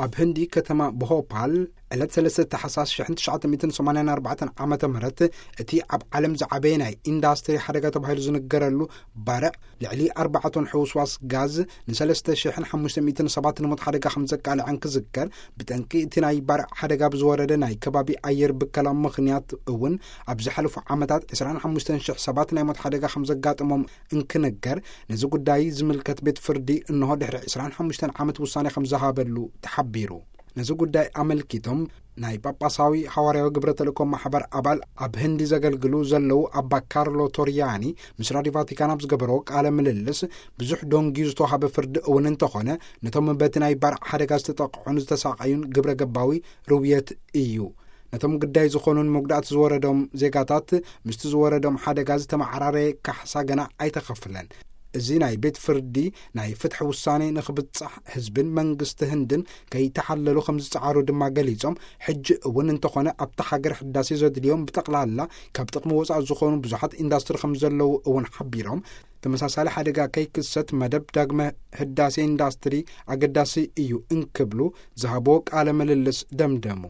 ኣብ ህንዲ ከተማ ብሆፓል ዕለት ሰለስተ ታሕሳስ ሽሕን ትሽዓተ ሚእትን ሰማንያን ኣርባዕተን ዓመተ ምህረት እቲ ኣብ ዓለም ዝዓበየ ናይ ኢንዳስትሪ ሓደጋ ተባሂሉ ዝንገረሉ ባርዕ ልዕሊ ኣርባዕተ ቶን ሕውስዋስ ጋዝ ንሰለስተ ሽሕን ሓሙሽተ ሚእትን ሰባት ንሞት ሓደጋ ከም ዘቃልዐን ክዝከር፣ ብጠንቂ እቲ ናይ ባርዕ ሓደጋ ብዝወረደ ናይ ከባቢ ኣየር ብከላ ምኽንያት እውን ኣብ ዝሓለፉ ዓመታት ዕስራን ሓሙሽተን ሽሕ ሰባት ናይ ሞት ሓደጋ ከም ዘጋጠሞም እንክንገር፣ ነዚ ጉዳይ ዝምልከት ቤት ፍርዲ እንሆ ድሕሪ ዕስራን ሓሙሽተን ዓመት ውሳኔ ከም ዝሃበሉ ተሓቢሩ። ነዚ ጉዳይ ኣመልኪቶም ናይ ጳጳሳዊ ሃዋርያዊ ግብረ ተልእኮ ማሕበር ኣባል ኣብ ህንዲ ዘገልግሉ ዘለዉ ኣባ ካርሎ ቶሪያኒ ምስ ራዲዮ ቫቲካን ኣብ ዝገበርዎ ቃለ ምልልስ፣ ብዙሕ ደንጊዩ ዝተዋሃበ ፍርዲ እውን እንተኾነ፣ ነቶም በቲ ናይ ባርዕ ሓደጋ ዝተጠቕዑን ዝተሳቐዩን ግብረ ገባዊ ርውየት እዩ። ነቶም ግዳይ ዝኾኑን መጉዳእቲ ዝወረዶም ዜጋታት ምስቲ ዝወረዶም ሓደጋ ዝተመዓራረየ ካሕሳ ገና ኣይተኸፍለን። እዚ ናይ ቤት ፍርዲ ናይ ፍትሒ ውሳኔ ንኽብጻሕ ህዝብን መንግስቲ ህንድን ከይተሓለሉ ከም ዝጸዓሩ ድማ ገሊጾም፣ ሕጂ እውን እንተኾነ ኣብታ ሃገር ሕዳሴ ዘድልዮም ብጠቕላላ ካብ ጥቕሚ ወጻኢ ዝኾኑ ብዙሓት ኢንዳስትሪ ከም ዘለዉ እውን ሓቢሮም፣ ተመሳሳሊ ሓደጋ ከይክሰት መደብ ዳግመ ህዳሴ ኢንዳስትሪ ኣገዳሲ እዩ እንክብሉ ዝሃብዎ ቃለ ምልልስ ደምደሙ።